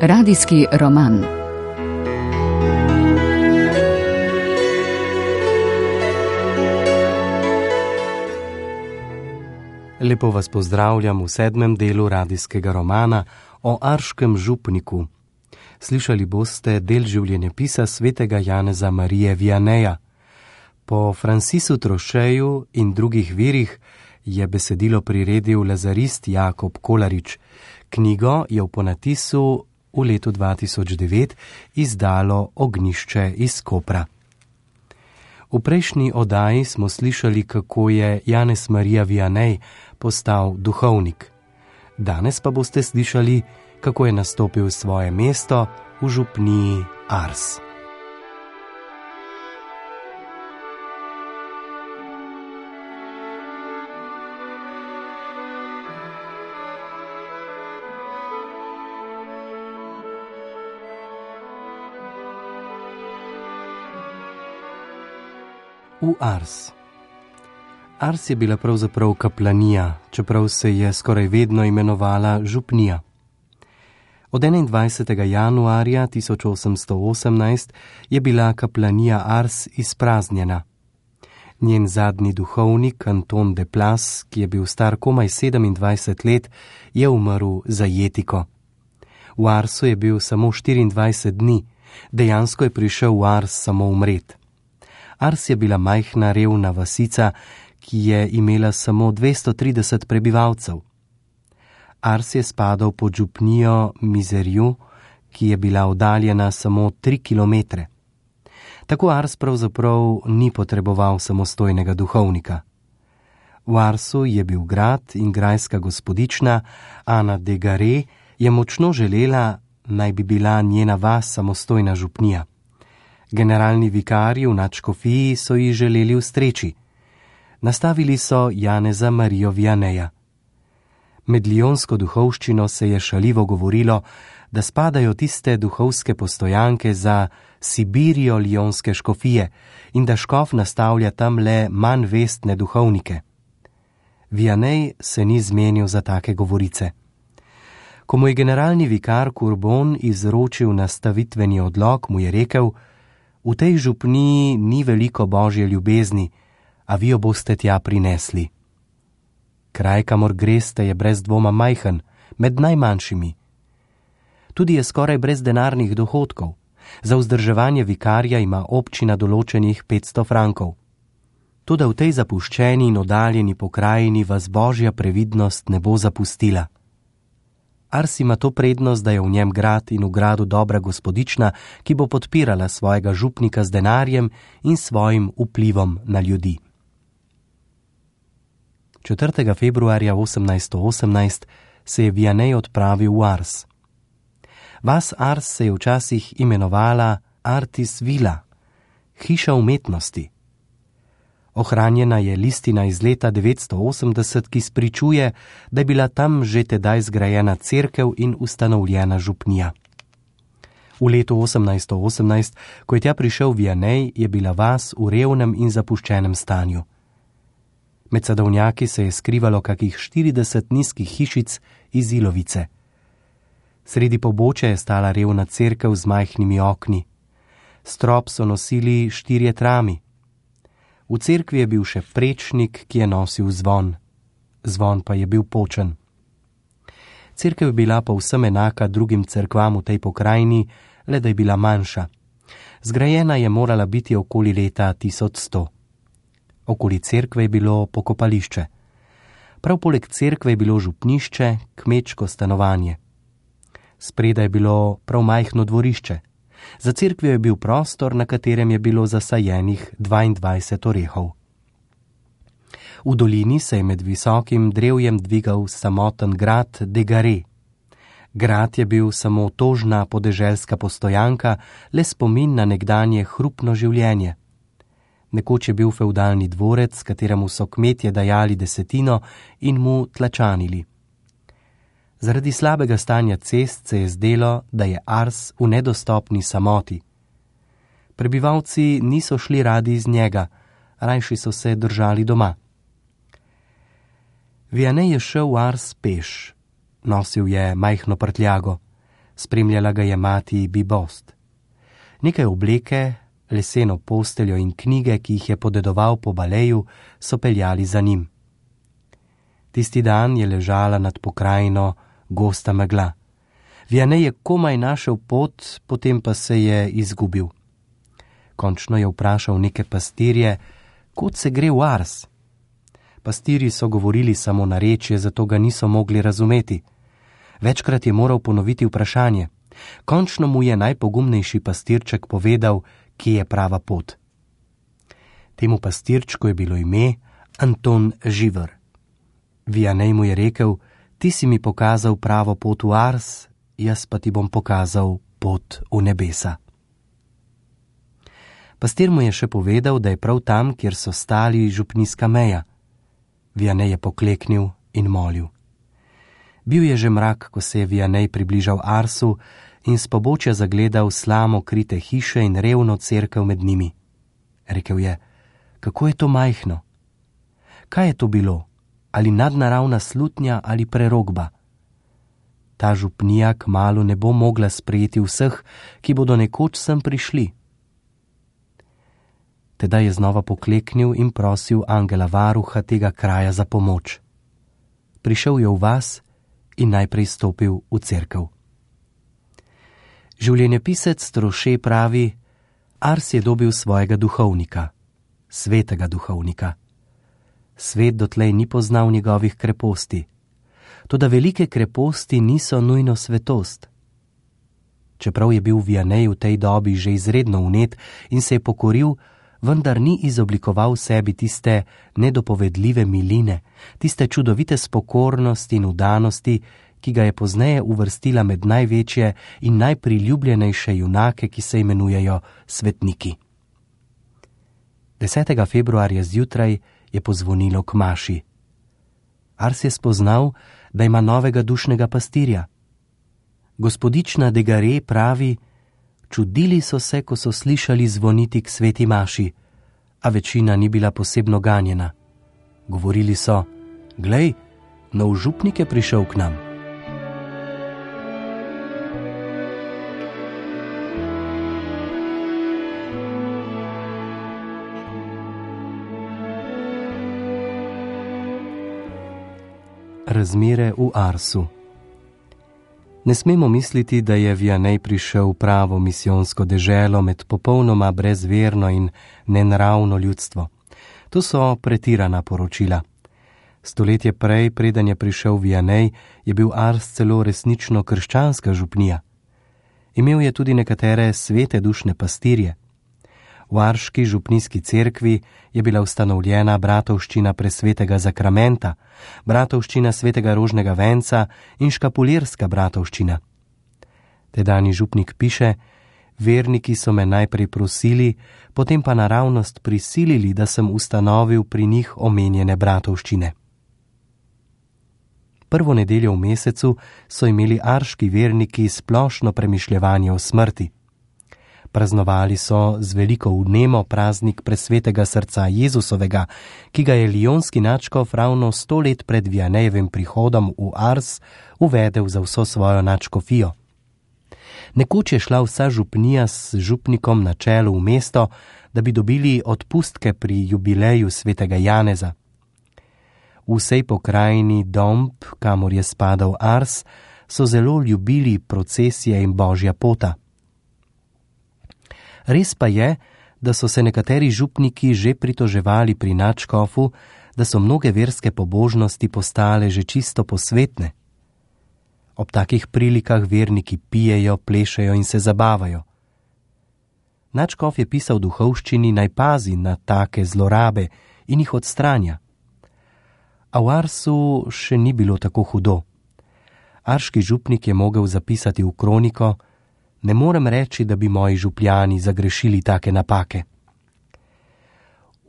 Radijski roman. Lepo vas pozdravljam v 7. delu radijskega romana o Arškem župniku. Slišali boste del življenjepisa svetega Janeza Marije Vianeja. Po Francisu Trošeju in drugih virih je besedilo priredil lazarist Jakob Kolarič. Knjigo je v ponatisu v letu 2009 izdalo Ognjišče iz Kopra. V prejšnji oddaji smo slišali, kako je Janez Marija Vianej postal duhovnik. Danes pa boste slišali, kako je nastopil svoje mesto v župniji Ars. V Ars. Ars je bila pravzaprav kaplanija, čeprav se je skoraj vedno imenovala župnija. Od 21. januarja 1818 je bila kaplanija Ars izpraznjena. Njen zadnji duhovnik, Anton de Plas, ki je bil star komaj 27 let, je umrl za jetiko. V Arsu je bil samo 24 dni, dejansko je prišel v Ars samo umret. Ars je bila majhna revna vasica, ki je imela samo 230 prebivalcev. Ars je spadal pod župnijo Mizerju, ki je bila oddaljena samo 3 kilometre. Tako Ars pravzaprav ni potreboval samostojnega duhovnika. V Arsu je bil grad in grajska gospodična Ana de Gare je močno želela, naj bi bila njena vas samostojna župnija. Generalni vikarji v nadškofiji so ji želeli ustreči. Nastavili so Janeza Marijo Vianeja. Med lionsko duhovščino se je šaljivo govorilo, da spadajo tiste duhovske postojanke za Sibirijo lionske škofije in da škof nastavlja tam le manj vestne duhovnike. Vianej se ni zmenil za take govorice. Ko mu je generalni vikar Courbon izročil nastavitveni odlok, mu je rekel: v tej župniji ni veliko božje ljubezni, a vi jo boste tja prinesli. Kraj, kamor greste, je brez dvoma majhen, med najmanjšimi. Tudi je skoraj brez denarnih dohodkov. Za vzdrževanje vikarja ima občina določenih 500 frankov. Toda v tej zapuščeni in oddaljeni pokrajini vas božja previdnost ne bo zapustila. Ars ima to prednost, da je v njem grad in v gradu dobra gospodična, ki bo podpirala svojega župnika z denarjem in svojim vplivom na ljudi. 4. februarja 1818 se je Vianej odpravil v Ars. Vas Ars se je včasih imenovala Artis Villa, hiša umetnosti. Ohranjena je listina iz leta 980, ki spričuje, da je bila tam že tedaj zgrajena cerkev in ustanovljena župnija. V letu 1818, ko je tja prišel Vianej, je bila vas v revnem in zapuščenem stanju. Med sadovnjaki se je skrivalo kakih 40 nizkih hišic iz ilovice. Sredi pobočja je stala revna cerkev z majhnimi okni. Strop so nosili 4 trami. V cerkvi je bil še prečnik, ki je nosil zvon. Zvon pa je bil počen. Cerkev je bila povsem enaka drugim cerkvam v tej pokrajini, le da je bila manjša. Zgrajena je morala biti okoli leta 1100. Okoli cerkve je bilo pokopališče. Prav poleg cerkve je bilo župnišče, kmečko stanovanje. Spredaj je bilo prav majhno dvorišče. Za cerkvijo je bil prostor, na katerem je bilo zasajenih 22 orehov. V dolini se je med visokim drevjem dvigal samoten grad de Gare. Grad je bil samo tožna podeželska postojanka, le spomin na nekdanje hrupno življenje. Nekoč je bil fevdalni dvorec, kateremu so kmetje dajali desetino in mu tlačanili. Zaradi slabega stanja cest se je zdelo, da je Ars v nedostopni samoti. Prebivalci niso šli radi iz njega, rajši so se držali doma. Vianej je šel v Ars peš. Nosil je majhno prtljago. Spremljala ga je mati Bibost. Nekaj obleke, leseno posteljo in knjige, ki jih je podedoval po Baleju, so peljali za njim. Tisti dan je ležala nad pokrajino gosta megla. Vianney je komaj našel pot, potem pa se je izgubil. Končno je vprašal neke pastirje, kod se gre v Ars. Pastirji so govorili samo narečje, zato ga niso mogli razumeti. Večkrat je moral ponoviti vprašanje. Končno mu je najpogumnejši pastirček povedal, kje je prava pot. Temu pastirčku je bilo ime Anton Živer. Vianney mu je rekel, ti si mi pokazal pravo pot v Ars, jaz pa ti bom pokazal pot v nebesa. Pastir mu je še povedal, da je prav tam, kjer so stali, župnijska meja. Vianney je pokleknil in molil. Bil je že mrak, ko se je Vianney približal Arsu in s pobočja zagledal slamo krite hiše in revno cerkev med njimi. Rekel je, kako je to majhno? Kaj je to bilo? Ali nadnaravna slutnja ali prerokba? Ta župnija kmalu ne bo mogla sprejeti vseh, ki bodo nekoč sem prišli. Tedaj je znova pokleknil in prosil angela varuha tega kraja za pomoč. Prišel je v vas in najprej stopil v cerkev. Življenjepisec Troše pravi, Ars je dobil svojega duhovnika, svetega duhovnika. Svet dotlej ni poznal njegovih kreposti, toda velike kreposti niso nujno svetost. Čeprav je bil Vianney v tej dobi že izredno vnet in se je pokoril, vendar ni izoblikoval v sebi tiste nedopovedljive miline, tiste čudovite spokornosti in vdanosti, ki ga je pozneje uvrstila med največje in najpriljubljenejše junake, ki se imenujejo svetniki. 10. februarja zjutraj je pozvonilo k maši. Ars je spoznal, da ima novega dušnega pastirja. Gospodična Degare pravi, čudili so se, ko so slišali zvoniti k sveti maši, a večina ni bila posebno ganjena. Govorili so, glej, nov župnik je prišel k nam. Razmere v Arsu. Ne smemo misliti, da je Vianney prišel v pravo misijonsko deželo med popolnoma brezverno in nenaravno ljudstvo. To so pretirana poročila. Stoletje prej, preden je prišel Vianney, je bil Ars celo resnično krščanska župnija. Imel je tudi nekatere svete dušne pastirje. V arški župnijski cerkvi je bila ustanovljena bratovščina presvetega zakramenta, bratovščina svetega rožnega venca in škapulirska bratovščina. Tedajni župnik piše, verniki so me najprej prosili, potem pa naravnost prisilili, da sem ustanovil pri njih omenjene bratovščine. Prvo nedeljo v mesecu so imeli arški verniki splošno premišljevanje o smrti. Praznovali so z veliko vnemo praznik presvetega srca Jezusovega, ki ga je lijonski nadškof ravno 100 let pred Vianneyjevim prihodom v Ars uvedel za vso svojo nadškofijo. Nekoč je šla vsa župnija s župnikom na čelu v mesto, da bi dobili odpustke pri jubileju svetega Janeza. V vsej pokrajini Domb, kamor je spadal Ars, so zelo ljubili procesije in božja pota. Res pa je, da so se nekateri župniki že pritoževali pri nadškofu, da so mnoge verske pobožnosti postale že čisto posvetne. Ob takih prilikah verniki pijejo, plešejo in se zabavajo. Nadškof je pisal duhovščini, naj pazi na take zlorabe in jih odstranja. A v Arsu še ni bilo tako hudo. Arški župnik je mogel zapisati v kroniko, ne morem reči, da bi moji župljani zagrešili take napake.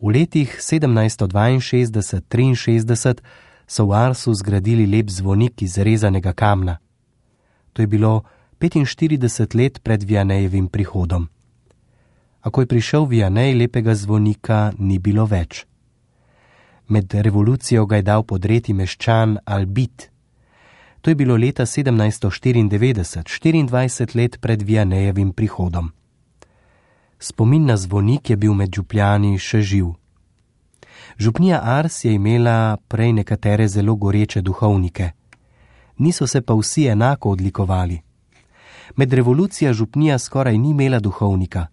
V letih 1762-63 so v Arsu zgradili lep zvonik iz rezanega kamna. To je bilo 45 let pred Vianneyjevim prihodom. A ko je prišel Vianney, lepega zvonika ni bilo več. Med revolucijo ga je dal podreti meščan Albit. To je bilo leta 1794, 24 let pred Vianejevim prihodom. Spomin na zvonik je bil med župljani še živ. Župnija Ars je imela prej nekatere zelo goreče duhovnike. Niso se pa vsi enako odlikovali. Med revolucijo župnija skoraj ni imela duhovnika.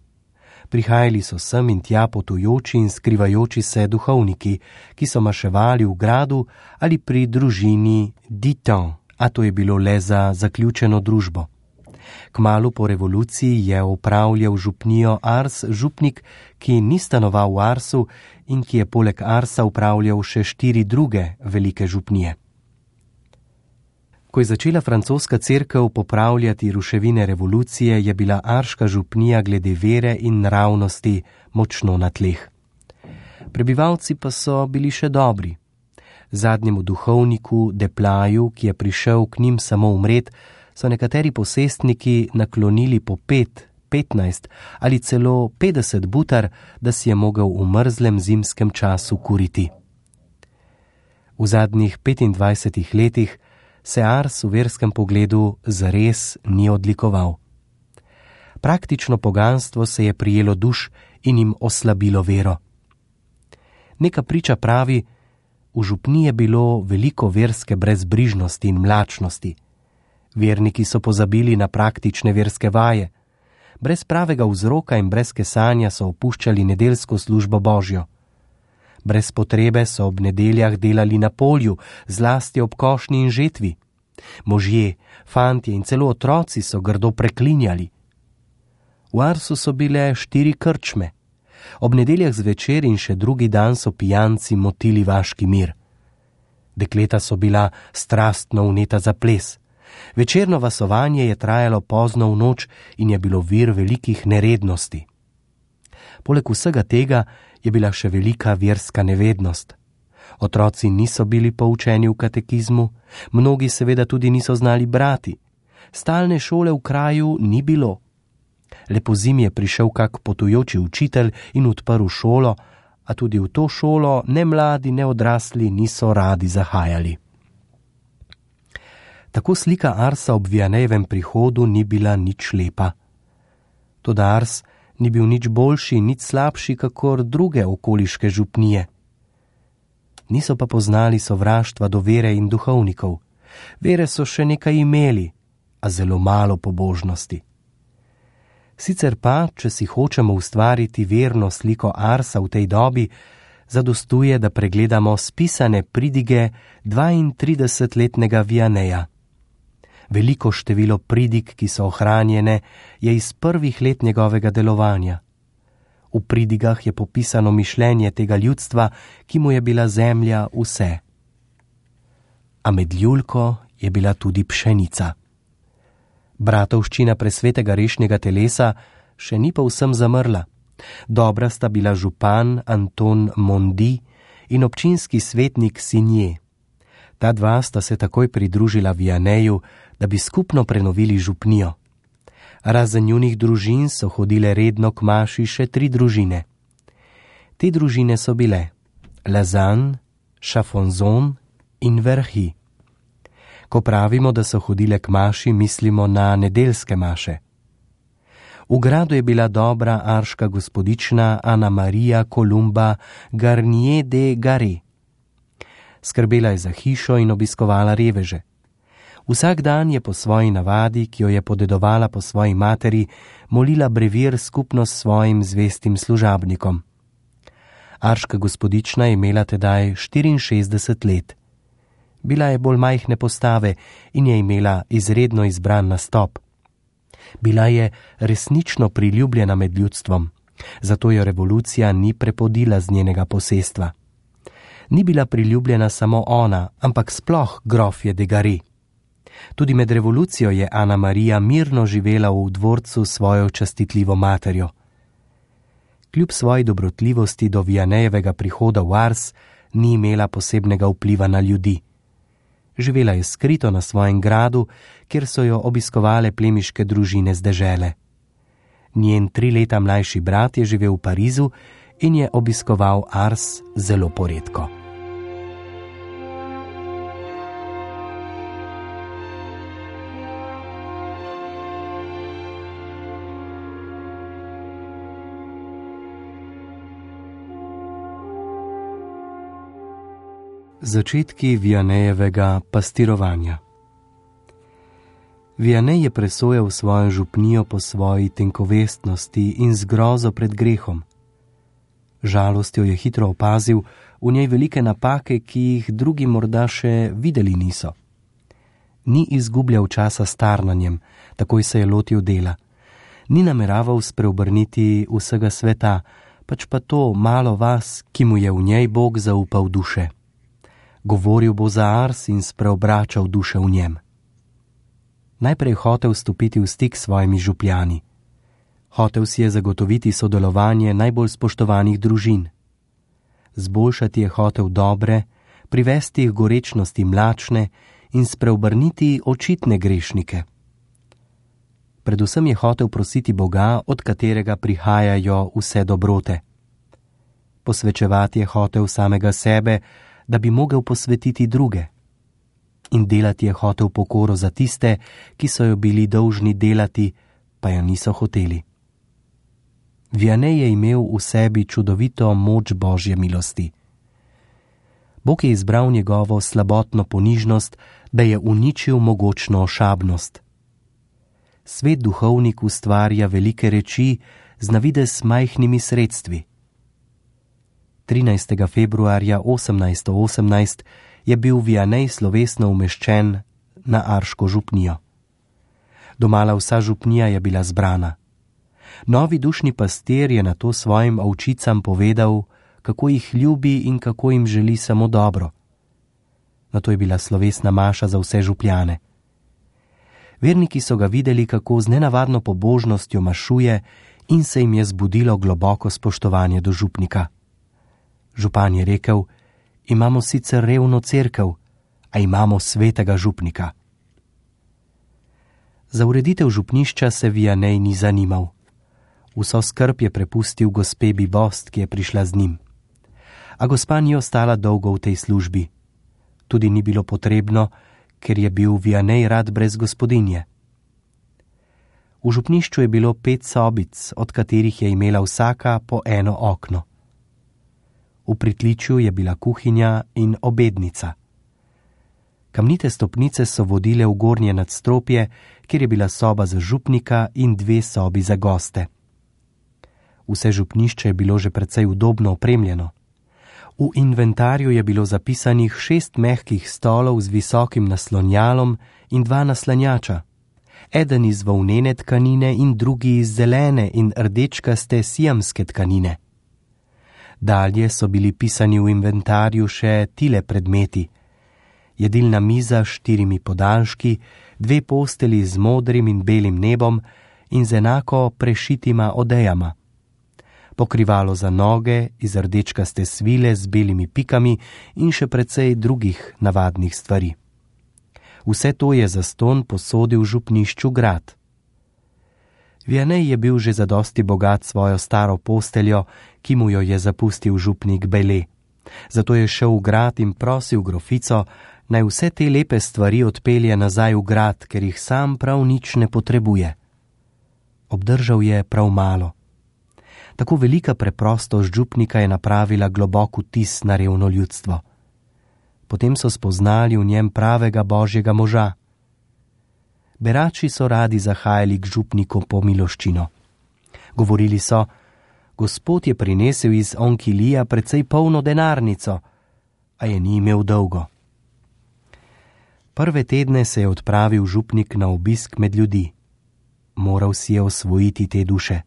Prihajali so sem in tja potujoči in skrivajoči se duhovniki, ki so maševali v gradu ali pri družini Diton, a to je bilo le za zaključeno družbo. Kmalu po revoluciji je upravljal župnijo Ars župnik, ki ni stanoval v Arsu in ki je poleg Arsa upravljal še 4 druge velike župnije. Ko je začela francoska cerkev popravljati ruševine revolucije, je bila arška župnija glede vere in nravnosti močno na tleh. Prebivalci pa so bili še dobri. Zadnjemu duhovniku Deplaju, ki je prišel k njim samo umret, so nekateri posestniki naklonili po 5, 15 ali celo 50 butar, da si je mogel v mrzlem zimskem času kuriti. V zadnjih 25 letih se Ars v verskem pogledu zares ni odlikoval. Praktično poganstvo se je prijelo duš in jim oslabilo vero. Neka priča pravi, v župniji je bilo veliko verske brezbrižnosti in mlačnosti. Verniki so pozabili na praktične verske vaje. Brez pravega vzroka in brez kesanja so opuščali nedeljsko službo Božjo. Brez potrebe so ob nedeljah delali na polju, zlasti ob košnji in žetvi. Možje, fantje in celo otroci so grdo preklinjali. V Arsu so bile 4 krčme. Ob nedeljah zvečer in še drugi dan so pijanci motili vaški mir. Dekleta so bila strastno vneta za ples. Večerno vasovanje je trajalo pozno v noč in je bilo vir velikih nerednosti. Poleg vsega tega je bila še velika verska nevednost. Otroci niso bili poučeni v katekizmu, mnogi seveda tudi niso znali brati. Stalne šole v kraju ni bilo. Le pozimi je prišel kak potujoči učitelj in odprl šolo, a tudi v to šolo ne mladi, ne odrasli niso radi zahajali. Tako slika Arsa ob Vianejevem prihodu ni bila nič lepa. Toda Ars ni bil nič boljši, nič slabši, kakor druge okoliške župnije. Niso pa poznali sovraštva do vere in duhovnikov. Vere so še nekaj imeli, a zelo malo pobožnosti. Sicer pa, če si hočemo ustvariti verno sliko Arsa v tej dobi, zadostuje, da pregledamo spisane pridige 32-letnega Vianeja. Veliko število pridig, ki so ohranjene, je iz prvih let njegovega delovanja. V pridigah je popisano mišljenje tega ljudstva, ki mu je bila zemlja vse. A med ljulko je bila tudi pšenica. Bratovščina presvetega rešnjega telesa še ni povsem zamrla. Dobra sta bila župan Anton Mondi in občinski svetnik Sinje. Ta dva sta se takoj pridružila Vianeju, da bi skupno prenovili župnijo. Razen njunih družin so hodile redno k maši še 3 družine. Te družine so bile Lazan, Chafonzon in Verhy. Ko pravimo, da so hodile k maši, mislimo na nedeljske maše. V gradu je bila dobra arška gospodična Ana Maria Columba Garnier de Garé. Skrbela je za hišo in obiskovala reveže. Vsak dan je po svoji navadi, ki jo je podedovala po svoji materi, molila brevir skupno s svojim zvestim služabnikom. Arška gospodična je imela tedaj 64 let. Bila je bolj majhne postave in je imela izredno izbran nastop. Bila je resnično priljubljena med ljudstvom, zato jo revolucija ni prepodila z njenega posestva. Ni bila priljubljena samo ona, ampak sploh grofje de Garé. Tudi med revolucijo je Ana Marija mirno živela v dvorcu s svojo častitljivo materjo. Kljub svoji dobrotljivosti do Vianejevega prihoda v Ars ni imela posebnega vpliva na ljudi. Živela je skrito na svojem gradu, kjer so jo obiskovale plemiške družine z dežele. Njen 3 leta mlajši brat je živel v Parizu in je obiskoval Ars zelo poredko. Začetki Vianejevega pastirovanja. Vianej je presojal svojo župnijo po svoji tenkovestnosti in zgrozo pred grehom. Žalostjo je hitro opazil v njej velike napake, ki jih drugi morda še videli niso. Ni izgubljal časa s tarnanjem, takoj se je lotil dela. Ni nameraval spreobrniti vsega sveta, pač pa to malo vas, ki mu je v njej Bog zaupal duše. Govoril bo za Ars in spreobračal duše v njem. Najprej hotel stopiti v stik s svojimi župljani. Hotel si je zagotoviti sodelovanje najbolj spoštovanih družin. Zboljšati je hotel dobre, privesti jih gorečnosti mlačne in spreobrniti očitne grešnike. Predvsem je hotel prositi Boga, od katerega prihajajo vse dobrote. Posvečevati je hotel samega sebe, da bi mogel posvetiti druge. In delati je hotel pokoro za tiste, ki so jo bili dolžni delati, pa jo niso hoteli. Vianej je imel v sebi čudovito moč Božje milosti. Bog je izbral njegovo slabotno ponižnost, da je uničil mogočno ošabnost. Svet duhovnik ustvarja velike reči z navidez majhnimi sredstvi. 13. februarja 1818 je bil Vianej slovesno umeščen na arško župnijo. Domala vsa župnija je bila zbrana. Novi dušni pastir je nato svojim ovčicam povedal, kako jih ljubi in kako jim želi samo dobro. Nato je bila slovesna maša za vse župljane. Verniki so ga videli, kako z nenavadno pobožnostjo mašuje, in se jim je zbudilo globoko spoštovanje do župnika. Župan je rekel: imamo sicer revno cerkev, a imamo svetega župnika. Za ureditev župnišča se Vianej ni zanimal. Vso skrb je prepustil gospe Bibost, ki je prišla z njim. A gospa ni ostala dolgo v tej službi. Tudi ni bilo potrebno, ker je bil Vianej rad brez gospodinje. V župnišču je bilo 5 sobic, od katerih je imela vsaka po eno okno. V pritličju je bila kuhinja in obednica. Kamnite stopnice so vodile v gornje nadstropje, kjer je bila soba za župnika in 2 sobi za goste. Vse župnišče je bilo že precej udobno opremljeno. V inventarju je bilo zapisanih 6 mehkih stolov z visokim naslonjalom in 2 naslanjača. Eden iz volnene tkanine in drugi iz zelene in rdečkaste siamske tkanine. Dalje so bili pisani v inventarju še tile predmeti: jedilna miza s 4 podaljški, 2 posteli z modrim in belim nebom in z enako prešitima odejama, pokrivalo za noge iz rdečkaste svile z belimi pikami in še precej drugih navadnih stvari. Vse to je zastonj posodil župnišču grad. Vianej je bil že zadosti bogat svojo staro posteljo, ki mu jo je zapustil župnik Bele. Zato je šel v grad in prosil grofico, naj vse te lepe stvari odpelje nazaj v grad, ker jih sam prav nič ne potrebuje. Obdržal je prav malo. Tako velika preprostost župnika je napravila globok vtis na revno ljudstvo. Potem so spoznali v njem pravega Božjega moža. Berači so radi zahajali k župniku po miloščino. Govorili so: Gospod je prinesel iz Onkilija precej polno denarnico, a je ni imel dolgo. Prve tedne se je odpravil župnik na obisk med ljudi. Moral si je osvojiti te duše.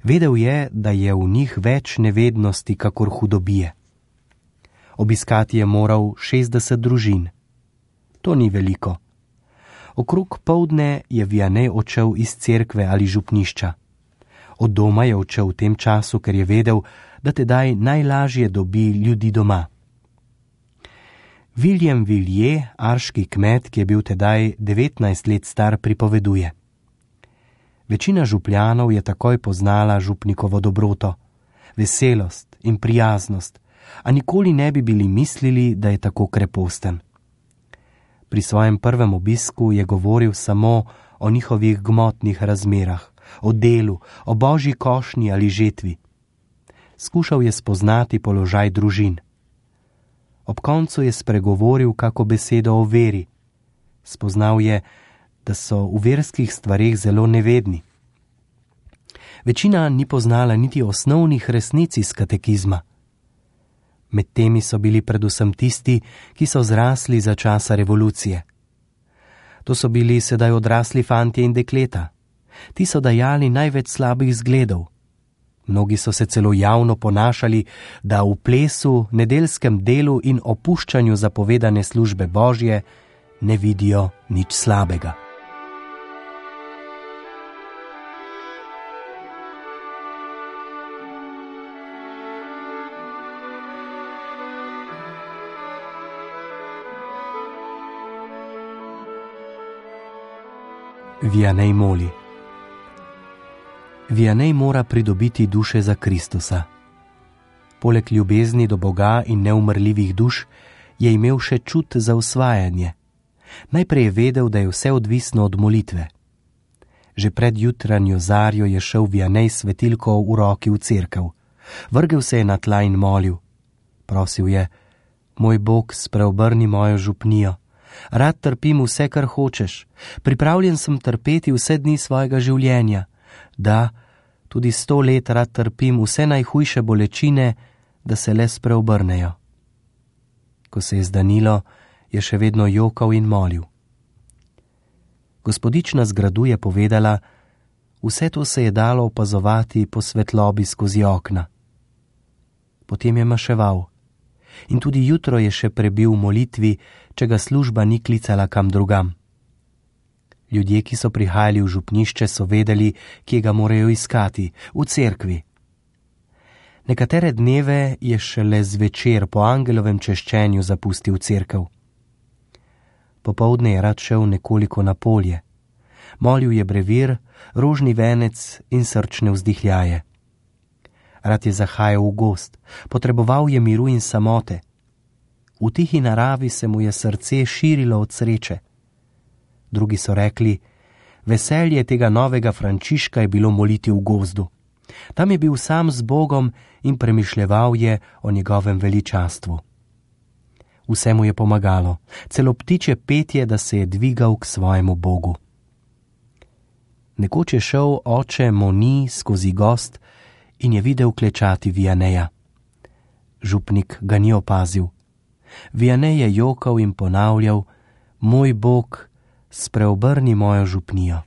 Vedel je, da je v njih več nevednosti kakor hudobije. Obiskati je moral 60 družin. To ni veliko. Okrog poldne je Vianej odšel iz cerkve ali župnišča. Od doma je odšel v tem času, ker je vedel, da tedaj najlažje dobi ljudi doma. William Villiers, arški kmet, ki je bil tedaj 19 let star, pripoveduje: Večina župljanov je takoj poznala župnikovo dobroto, veselost in prijaznost, a nikoli ne bi bili mislili, da je tako kreposten. Pri svojem prvem obisku je govoril samo o njihovih gmotnih razmerah, o delu, o božji košnji ali žetvi. Skušal je spoznati položaj družin. Ob koncu je spregovoril kako besedo o veri. Spoznal je, da so v verskih stvareh zelo nevedni. Večina ni poznala niti osnovnih resnic iz katekizma. Med temi so bili predvsem tisti, ki so zrasli za časa revolucije. To so bili sedaj odrasli fantje in dekleta. Ti so dajali največ slabih zgledov. Mnogi so se celo javno ponašali, da v plesu, nedeljskem delu in opuščanju zapovedane službe Božje ne vidijo nič slabega. Vianney moli. Vianney mora pridobiti duše za Kristusa. Poleg ljubezni do Boga in neumrljivih duš je imel še čut za usvajanje. Najprej je vedel, da je vse odvisno od molitve. Že pred jutranjo zarjo je šel Vianney s svetilko v roki v cerkev. Vrgel se je na tla in molil. Prosil je: Moj Bog, spreobrni mojo župnijo. Rad trpim vse, kar hočeš. Pripravljen sem trpeti vse dni svojega življenja. Da, tudi 100 let rad trpim vse najhujše bolečine, da se le spreobrnejo. Ko se je zdanilo, je še vedno jokal in molil. Gospodična z gradu je povedala: vse to se je dalo opazovati po svetlobi skozi okna. Potem je maševal. In tudi jutro je še prebil v molitvi, če ga služba ni klicala kam drugam. Ljudje, ki so prihajali v župnišče, so vedeli, kje ga morajo iskati, v cerkvi. Nekatere dneve je šele zvečer po angelovem češčenju zapustil cerkev. Popoldne je rad šel nekoliko na polje. Molil je brevir, rožni venec in srčne vzdihljaje. Rad je zahajal v gozd, potreboval je miru in samote. V tihi naravi se mu je srce širilo od sreče. Drugi so rekli: veselje tega novega Frančiška je bilo moliti v gozdu. Tam je bil sam z Bogom in premišljeval je o njegovem veličastvu. Vse mu je pomagalo, celo ptičje petje, da se je dvigal k svojemu Bogu. Nekoč je šel oče Moni skozi gozd in je videl klečati Vianneya. Župnik ga ni opazil. Vianney je jokal in ponavljal: Moj Bog, spreobrni mojo župnijo.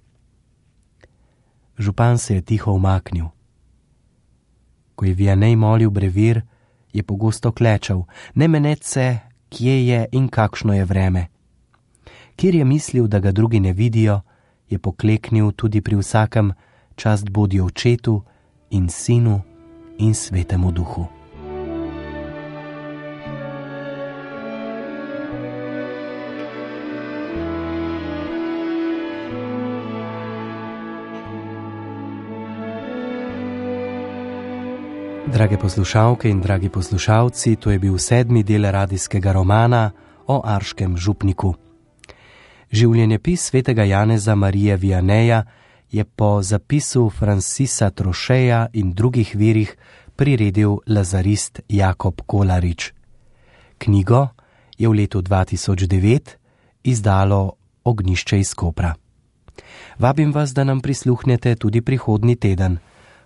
Župan se je tiho umaknil. Ko je Vianney molil brevir, je pogosto klečal, ne meneč se, kje je in kakšno je vreme. Kjer je mislil, da ga drugi ne vidijo, je pokleknil tudi pri vsakem: čast bodi Očetu in Sinu in Svetemu Duhu. Drage poslušalke in dragi poslušalci, to je bil 7. del radijskega romana o arškem župniku. Življenjepis svetega Janeza Marije Vianneya je po zapisu Francisa Trocheja in drugih virih priredil lazarist Jakob Kolarič. Knjigo je v letu 2009 izdalo Ognjišče iz Kopra. Vabim vas, da nam prisluhnete tudi prihodnji teden,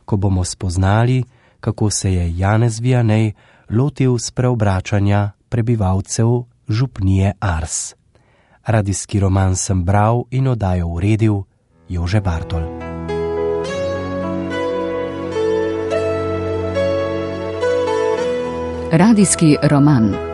ko bomo spoznali, kako se je Janez Vianney lotil spreobračanja prebivalcev župnije Ars. Radijski roman sem bral in oddajo uredil Jože Bartol. Radijski roman.